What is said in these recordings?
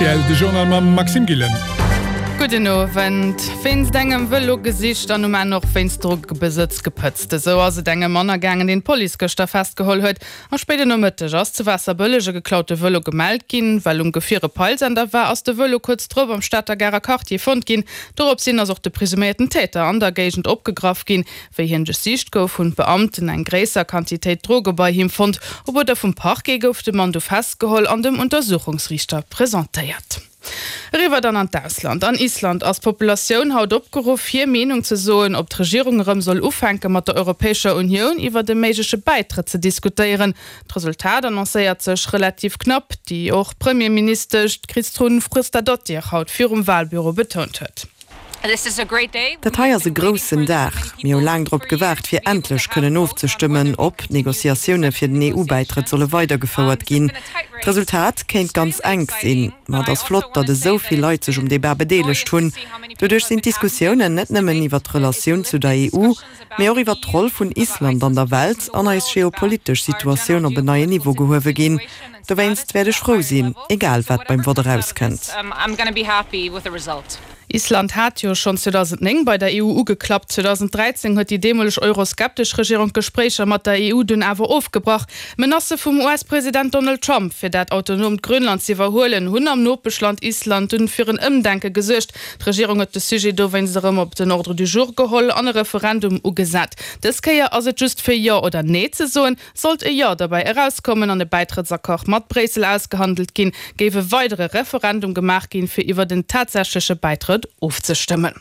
Rtl, de Journal mam Maxime Gillen. Gudden Owend. Wéinst engem Vëlo gesicht an um Enn och wéinst Drogebesëtz gepëtzt. Esou ass et engem Mann ergaangen, deen d'Police gëschter festgeholl huet. Am spéiden Nomëtteg ass zu Waasserbëlleg e geklaute Vëlo gemellt ginn. Well um Gefier e Peilsender war, ass de Vëlo kuerz drop am Stater Garer Quartier fonnt ginn. Dorops hin ass och de presuméierten Täter an der Géigend opgegraff ginn. Wéi hien duerchsicht gouf, hunn d'Beamten eng gréisser Quantitéit Droge bei him fonnt. Op Uerder vum Parquet gouf de Mann du festgeholl an dem Untersuchungsriichter presentéiert. Eriwwer dann an d'Ausland. An Island ass d'Populatioun haut opgeruff, hir Meenung ze soen, ob d'Regierung erëm soll ufänke mat der Europäescher Unioun iwwert e méigleche Bäitrëtt ze diskutéieren. D'Resultat annoncéiert sech relativ knapp, déi och d'Premierministesch Kristrún Frostadóttir haut virum Walbüro betount huet. Dat hei ass e groussen Dag. Mir hu laang drop gewaart, fir endlech kënnen ofzestëmmen, ob d'Negociatioune fir den EU-Bäitrëtt solle weidergefouert ginn. D'Resultat kéint ganz enk sinn. Ma et ass flott, datt esou vill Leit sech um Debat bedeelegt hunn. Doduerch sinn d'Diskussiounen net nëmmen iwwer d'Relatioun zu der EU, mee och iwwer d'Roll vun Island an der Welt an eis geopolitesch Situatioun op en neien Niveau gehuewe ginn. Dowéinst wäert ech frou sinn, egal wat beim Vott erauskënnt. Island hat jo schonn 2009 bei der EU ugeklappt. 2013 huet déi deemoleg euroskeptesch Regierung d'Gespréicher mat der EU dunn awer ofgebrach. Menacë vum US-President Donald Trump, fir dat autonoomt Grönland z'iwwerhuelen, hunn am Nopeschland Island dunn fir en Ëmdenke gesuergt. D'Regierung huet de Sujet dowéinst erëm op den Ordre du jour geholl an e Referendum ugesat. Dës Kéier ass et just fir Jo oder Nee ze soen. Sollt e Jo derbäi erauskommen an e Bäitrëttsaccord mat Bréissel ausgehandelt ginn, géif e weidere Referendum gemaach ginn, fir iwwer en tatsächleche Bäitrëtt ofzestëmmen.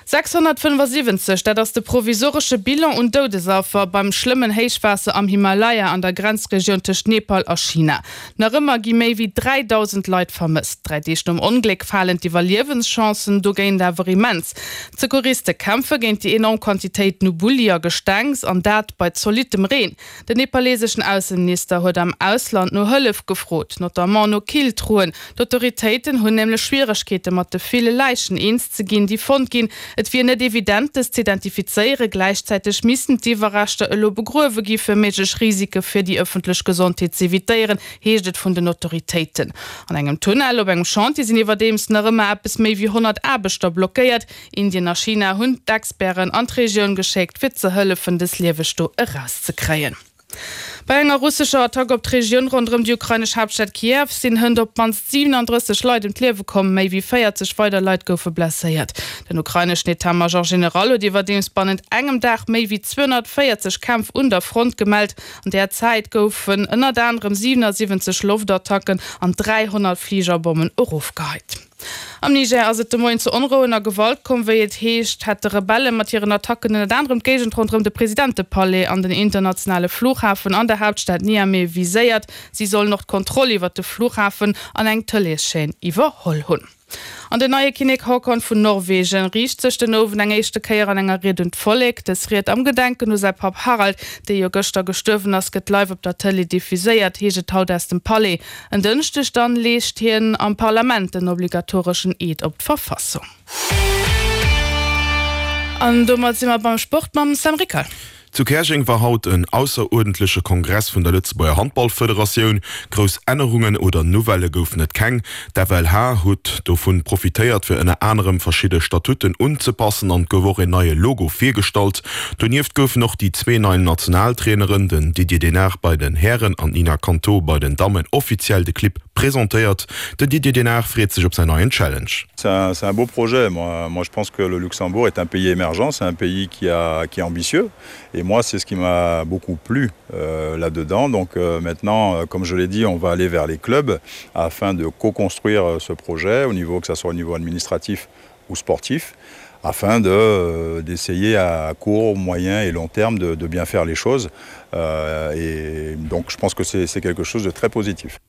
675, dat ass de provisoresche Bilan un Doudesaffer beim schlëmmen Héichwaasser am Himalaya an der Grenzregioun tëscht Nepal a China. Nach ëmmer gi méi wéi 3.000 Leit vermësst. Dräi Deeg nom Ongléck falen d'Iwwerliewenschancen dogéint awer immens. D'Secouriste kämpfe géint déi enorm Quantitéiten u Bulli a Gestengs, an dat bei zolittem Reen. Den nepaleseschen Ausseminister huet am Ausland no Hëllef gefrot, notamment no Killtruen. D'Autoritéiten hunn nämlech Schwieregkeete mat de ville Läichen eens ze ginn, déi fonnt ginn. Et wier net evident, dës z'identifizéieren. Gläichzäiteg missten d'Iwwerreschter elo begruewe gi fir méiglech Risike fir déi ëffentlech Gesondheet z'evitéieren, heescht et vun den Autoritéiten. An engem Tunnel op engem Chantier sinn iwwerdeems nach ëmmer eppes méi wéi 100 Aarbechter blockéiert. Indien a China hunn d'Experten an d'Regioun geschéckt, fir ze hëllefen, dës Lieweg do erauszekréien. Bei enger russescher Attack op d'Regioun ronderëm déi ukrainesch Haaptstad Kiew sinn hënt op d'mannst 37 Leit ëm d'Liewe komm, méi wéi 40 weider Leit goufe blesséiert. Den ukraineschen Etat-Major General huet iwwerdeems bannent engem Dag méi wéi 240 Kämpf un der Front gemellt. An där Zäit goufen ënnert anerem 77 Loftattacken an 300 Fligerbommen erofgeheit. Am Niger ass et de Moien zu Onrouen a Gewalt komm. Wéi et heescht, hätte Rebelle mat hiren Attacken ënnert anerem d'Géigend ronderëm de Presidentepalais an den internationale Flughafen an der Haaptstad Niamey viséiert. Si sollen och d'Kontroll iwwer de Flughafen an eng Tëleeschaîne iwwerholl hunn. An den neie Kinnek Haakon vun Norwegen riicht sech den Owend eng éischte Kéier an enger Ried un d'Vollek. Dës Ried am Gedenken u säi Papp Harald, dee jo gëschter gestuerwen ass, gëtt live op der Tëlee diffuséiert, heescht et haut aus dem Palais. En Dënschdeg dann leescht hien am Parlament den obligatoreschen Eed op d'Verfassung. An domat si mer beim Sport mam Sam Rickal. Zu Käerjeng war haut en ausseruerdentleche Kongress vun der Lëtzebuerger Handballfederatioun. Grouss Ännerungen oder Nouvellë goufen et keng. D'FLH huet dovun profitéiert fir ënner anerem verschidde Statuten unzepassen an et gouf och een neie Logo virgestallt. Donieft goufen och déi zwee nei Nationaltraineren, den Didier Denard bei den Hären an d'Nina Canto bei den Dammen offiziell de Clibb presentéiert. Den Didier Denard freet sech op säin neien Challenge. C'est un, un beau projet. Moi, moi, je pense que le Luxembourg est un pays émergent, c'est un pays qui, a, qui est ambitieux. Et moi, c'est ce qui m'a beaucoup plu euh, là-dedans. Donc euh, maintenant, euh, comme je l'ai dit, on va aller vers les clubs afin de co-construire euh, ce projet, au niveau, que ce soit au niveau administratif ou sportif afin de, d'essayer à court, moyen et long terme de, de bien faire les choses. Euh, et donc je pense que c'est quelque chose de très positif.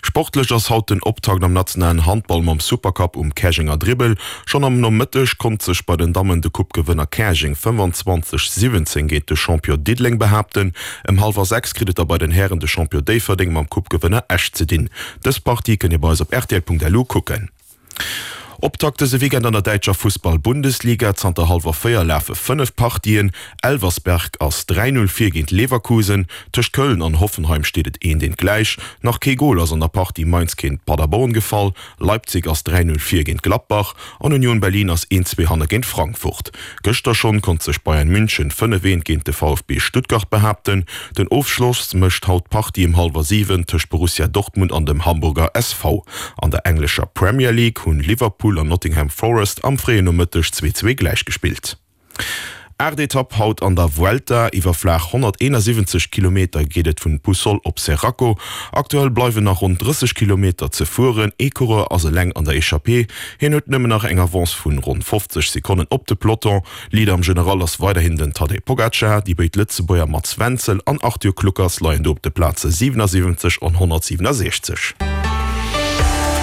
Sportlech ass haut den Optakt am nationalen Handball mam Supercup um Käerjenger Dribbel. Schonn am Nomëtteg konnt sech bei den Dammen de Coupe-Gewënner Käerjeng 25, 17 géint de Champion Diddeleng behaapten. Ëm hallwer 6 kritt et da bei den Hären de Champion Déifferdeng mam Coupe-Gewënner Esch ze dinn. Dës Partie kënnt Dir bei eis op rtl.lu kucken. Optakt dëse Weekend an der däitscher Fussball-Bundesliga. Zanter hallwer 4 lafe 5 Partien. Elversberg ass 3, 0 vir géint Leverkusen. Tëscht Köln an Hoffenheim steet et eent eent gläich. Nach kee Gol ass an der Partie Mainz géint Paderborn gefall. Leipzig ass 3, 0 vir géint Gladbach an Union Berlin ass 1, 2 hanne géint Frankfurt. Gëschter schonn konnt sech Bayern München 5, 1 géint de VfB Stuttgart behaapten. Den Ofschloss mécht haut d'Partie ëm hallwer 7 tëscht Borussia Dortmund an dem Hamburger SV. An der englescher Premier League hunn Liverpool an Nottingham Forest am fréien Nomëtteg 2, 2 gläichgespillt. Aacht Etapp haut an der Vuelta. Iwwer flaach 171 Kilometer geet et vun Puçol op Seraco. Aktuell bleiwen nach ronn 30 Kilometer ze fueren. Ee Coureur ass eleng an der Echappée. Hien huet nëmmen nach eng Avance vun ronn 50 Sekonnen op de Peloton. Leader am General ass weiderhin den Tadej Pogacar. Déi béid Lëtzebuerger Mats Wenzel an Arthur Kluckers leien do op de Plaze 77 an 167.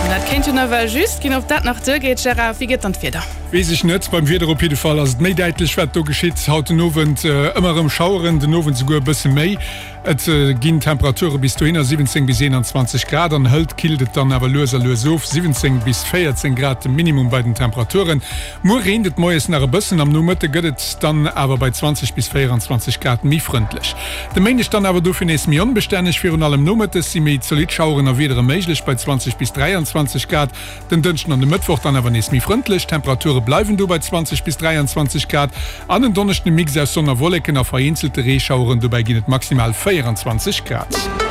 Dat kéint jo nawell just ginn. Ob dat nach duergeet, Gérard, wéi gëtt dann d'Wieder? Weess ech net. Beim Wieder op jidde Fall ass et méi däitlech, wat do geschitt. Haut den Owend ëmmer erëm Schaueren, den Owend souguer e bësse méi. Et ginn Temperature bis dohinner 17 bis 21 Grad an hëlt killt et dann awer lues a lues of, 17 bis 14 Grad de Minimum bei den Temperaturen. Muer reent et moies nach e bëssen, am Nomëtte gëtt et dann awer bei 20 bis 24 Grad méi frëndlech. De Méindeg dann awer dofir nees méi onbestänneg, virun allem nomëttes si méi zolidd Schaueren a Wiedere méiglech bei 20 bis 23 Grad. Den Dënschden an de Mëttwoch dann awer nees méi frëndlech, d'Temperature bleiwen do bei 20 bis 23 Grad an en Donneschden e Mix aus Sonn a Wolleken a vereenzelte Reeschaueren, dobäi ginn et maximal 24 Grad.